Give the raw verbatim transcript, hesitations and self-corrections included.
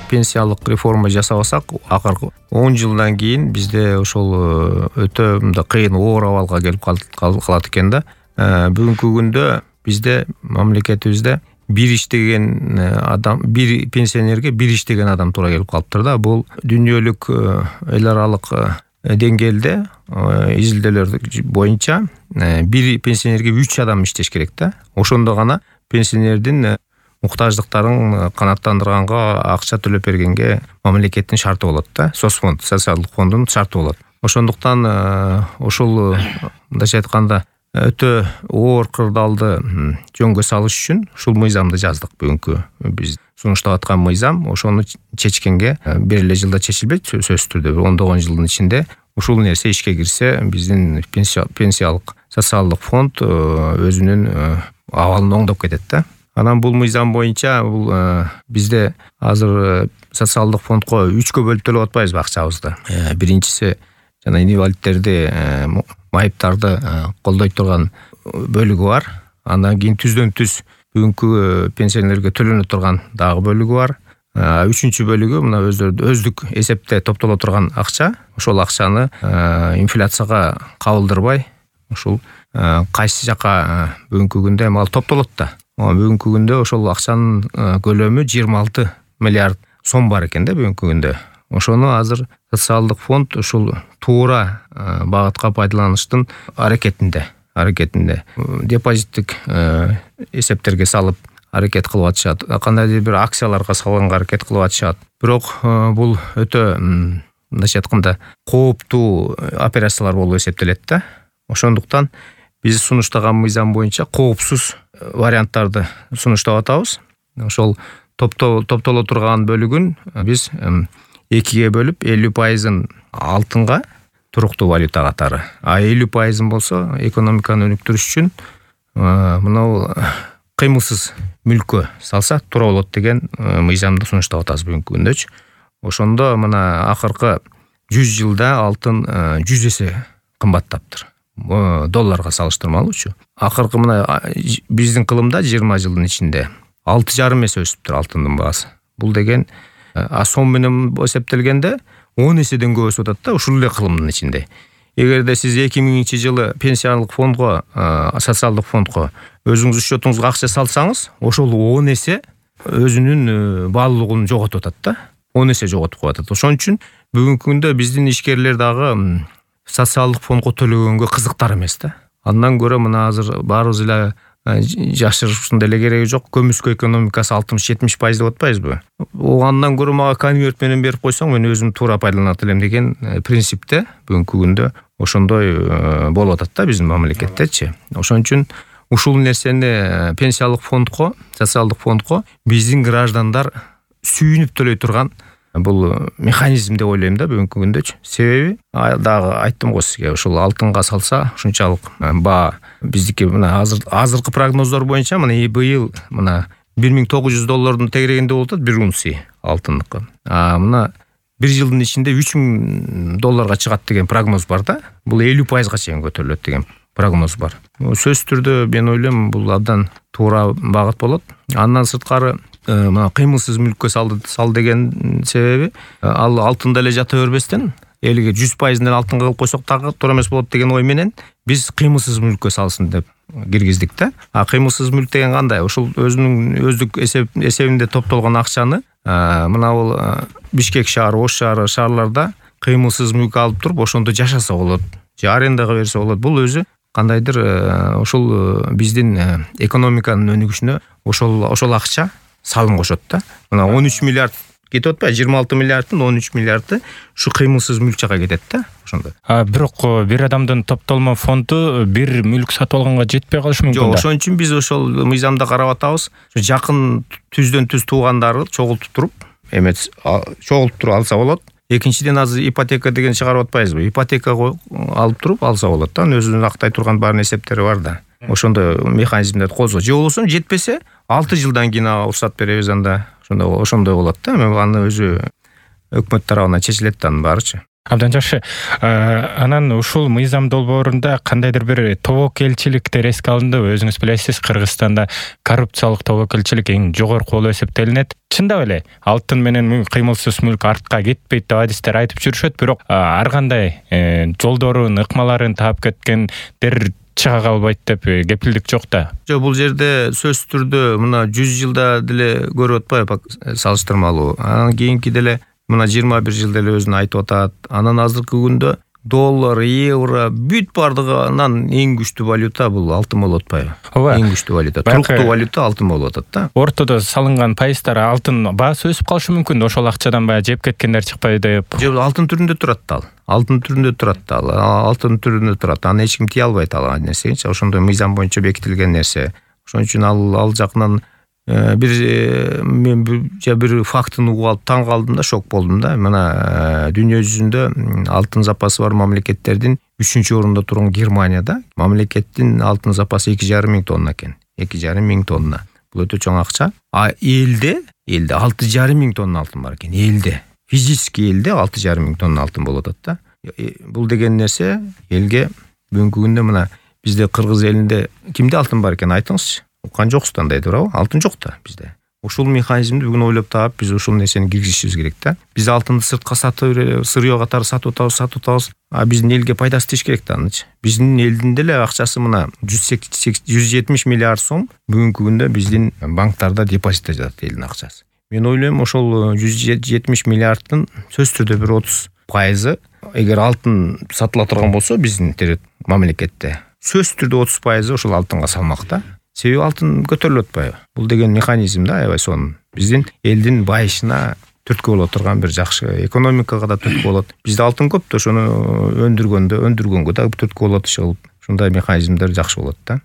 пенсиялык реформа жасабасак, акыркы он жылдан кийин бизде ошол өтө мындай кыйын оор абалга келип калат экен да. Бүгүнкү күндө бизде мамлекетибизде бир иштеген адам, бир пенсионерге бир иштеген адам туура келип калыптыр да. Бул дүйнөлүк эл аралык деңгээлде изилдөөлөр боюнча бир пенсионерге үч адам иштеш керек да. Ошондо гана пенсионердин муктаждыктарын канааттандырганга, акча төлөп бергенге мамлекеттин шарты болот да. Соцфонд, социалдык фонддун шарты болот. Ошондуктан ошол мындайча айтканда өтө оор кырдаалды жөнгө салыш үчүн ушул мыйзамды жаздык. Бүгүнкү биз сунуштап аткан мыйзам ошону чечкенге бир эле жылда чечилбейт, сөзсүз түрдө бир ондогон жылдын ичинде ушул нерсе ишке кирсе, биздин пенсиялык социалдык фонд өзүнүн абалын оңдоп кетет да. Анан бул мыйзам боюнча бул бизде азыр социалдык фондко үчкө бөлүп төлөп атпайбызбы акчабызды. Биринчиси жана инвалидтерди, майыптарды колдой турган бөлүгү бар. Андан кийин түздөн түз бүгүнкү пенсионерлерге төлөнө турган дагы бөлүгү бар. Үчүнчү бөлүгү мына өздөрү өздүк эсепте топтоло турган акча. Ошол акчаны инфляцияга кабылдырбай, ушул кайсы жака бүгүнкү күндө эми ал топтолот да. Бүгүнкү күндө ошол акчанын көлөмү жыйырма алты миллиард сом бар экен да бүгүнкү күндө. Ошону азыр социалдык фонд ушул туура багытка пайдаланыштын аракетинде, аракетинде депозиттик эсептерге салып аракет кылып атышат. Кандайдыр бир акцияларга салганга аракет кылып атышат. Бирок бул өтө мындайча айтканда кооптуу операциялар болуп эсептелет да. Ошондуктан биз сунуштаган мыйзам боюнча коопсуз варианттарды сунуштап атабыз. Ошол топтоло турган бөлүгүн биз экиге бөлүп, элүү пайызын алтынга, туруктуу валюта катары, а элүү пайызын болсо экономиканы өнүктүрүш үчүн мына кыймылсыз мүлккө салса туура болот деген мыйзамды сунуштап атабыз бүгүнкү күндөчү. Ошондо мына акыркы жүз жылда алтын жүз эсе кымбаттаптыр. Долларга салыштырмалуучу. Акыркы мына биздин кылымда жыйырма жылдын ичинде алты жарым эсе өсүптүр алтындын баасы. Бул деген а сом менен эсептелгенде он эседен көп өсүп атат да ушул эле кылымдын ичинде. Эгерде сиз эки миңинчи жылы пенсиялык фондго, социалдык фондго өзүңүз счетуңузга акча салсаңыз, ошол он эсе өзүнүн баалуулугун жоготуп атат да. он эсе жоготуп коюп атат. Ошон үчүн бүгүнкү күндө биздин ишкерлер дагы социалдык фондго төлөгөнгө кызыктар эмес да. Андан көрө мына азыр баарыбыз эле жашырыштын деле кереги жок. Көмүскө экономикасы алтымыш жетимиш пайыз деп атпайбызбы? Андан көрө мага конверт менен берип койсоң, мен өзүм туура пайдаланат элем деген принципте бүгүнкү күндө ошондой болуп атат да биздин мамлекеттечи. Ошон үчүн ушул нерсени пенсиялык фондко, социалдык фондко биздин граждандар сүйүнүп төлөй турган бул механизм деп ойлойм да бүгүнкү күндөчү. Себеби дагы айттым го сизге, ушул алтынга салса ушунчалык баа биздики мына азыр азыркы прогноздор боюнча мына быйыл мына бир миң тогуз жүз доллардын тегерегинде болуп атат бир унция алтындыкы. А мына бир жылдын ичинде үч миң долларга чыгат деген прогноз бар да. Бул элүү пайызга чейин көтөрүлөт деген прогноз бар. Сөзсүз түрдө мен ойлойм бул абдан туура багыт болот. Андан сырткары мына кыймылсыз мүлккө салды сал деген себеби ал алтында эле жата бербестен элге жүз пайызын алтынга кылып койсок дагы туура эмес болот деген ой менен биз кыймылсыз мүлккө салсын деп киргиздик да. А кыймылсыз мүлк деген кандай? Ушул өзүнүн өздүк эсебинде топтолгон акчаны мына бул Бишкек шаары, Ош шаары шаарларда кыймылсыз мүлк алып туруп ошондо жашаса болот, же арендага берсе болот. Бул өзү кандайдыр ушул биздин экономиканын өнүгүшүнө ошол ошол акча салым кошот да. Мына он үч миллиард кетип атпайбы? жыйырма алты миллиардтын он үч миллиарды ушу кыймылсыз мүлк жака кетет да ошондо. А бирок бир адамдын топтолмо фонду бир мүлк сатып алганга жетпей калышы мүмкүн да. Жок, ошон үчүн биз ошол мыйзамда карап атабыз. Жакын түздөн түз туугандарды чогултуп туруп, эмес чогултуп туруп алса болот. Экинчиден азыр ипотека деген чыгарып атпайбызбы? Ипотека алып туруп алса болот да. Өзүнүн актай турган баарын эсептери бар да. Ошондой механизмдерди колсо, же болбосо жетпесе алты жылдан кийин уруксат беребиз анда. Ошондой ошондой болот да. Эми аны өзү өкмөт тарабынан чечилет да анын баарычы. Абдан жакшы. Анан ушул мыйзам долбоорунда кандайдыр бир тобокелчиликтер эске алынды. Өзүңүз билесиз, Кыргызстанда коррупциялык тобокелчилик эң жогорку болуп эсептелинет. Чындап эле алтын менен кыймылсыз мүлк артка кетпейт деп адистер айтып жүрүшөт, бирок ар кандай жолдорун, ыкмаларын таап кеткендер чыга калбайт деп кепилдик жок да. Жок, бул жерде сөзсүз түрдө мына жүз жылда деле көрүп атпайбы салыштырмалуу. Анан кийинки деле мына жыйырма бир жыл деле өзүн айтып атат. Анан азыркы күндө доллар, евро бүт бардыгынан эң күчтүү валюта бул алтын болуп атпайбы? Ооба. Эң күчтүү валюта, туруктуу валюта алтын болуп атат да. Ортодо салынган пайыздар алтын баасы өсүп калышы мүмкүн. Ошол акчадан баягы жеп кеткендер чыкпайбы деп. Жок, алтын түрүндө турат да ал. Алтын түрүндө турат да ал. Алтын түрүндө турат. Аны эч ким тие албайт ал нерсени. Ошондой мыйзам боюнча бекитилген нерсе. Ошон үчүн ал ал жакынан бир мен бир фактын угуп алып таң калдым да, шок болдум да. Мына дүйнө жүзүндө алтын запасы бар мамлекеттердин үчүнчү орунда турган Германияда мамлекеттин алтын запасы эки жарым миң тонна экен. эки жарым миң тонна. Бул өтө чоң акча. А элде, элде алты жарым миң тонна алтын бар экен. Элде, физически элде алты жарым миң тонна алтын болуп атат да. Бул деген нерсе элге бүгүнкү күндө мына бизде Кыргыз элинде кимде алтын бар экен айтыңызчы? Уккан жоксуз андай туурабы? Алтын жок да бизде. Ушул механизмди бүгүн ойлоп таап, биз ушул нерсени киргизишибиз керек да. Биз алтынды сыртка сатып, сырьё катары сатып атабыз, сатып атабыз. А биздин элге пайдасы тиш керек да анычы. Биздин элдин деле акчасы мына жүз жетимиш миллиард сом бүгүнкү күндө биздин банктарда депозитте жатат элдин акчасы. Мен ойлойм, ошол жүз жетимиш миллиарддын сөзсүз түрдө бир отуз пайызы эгер алтын сатыла турган болсо биздин мамлекетте, сөзсүз түрдө отуз пайызы ошол алтынга салмак да. Себеби алтын көтөрүлүп атпайбы? Бул деген механизм да, аябай сонун. Биздин элдин байышына түрткү боло турган бир жакшы, экономикага да түрткү болот. Бизде алтын көп да, ошону өндүргөндө, өндүргөнгө да түрткү болот ошол. Ушундай механизмдер жакшы болот да.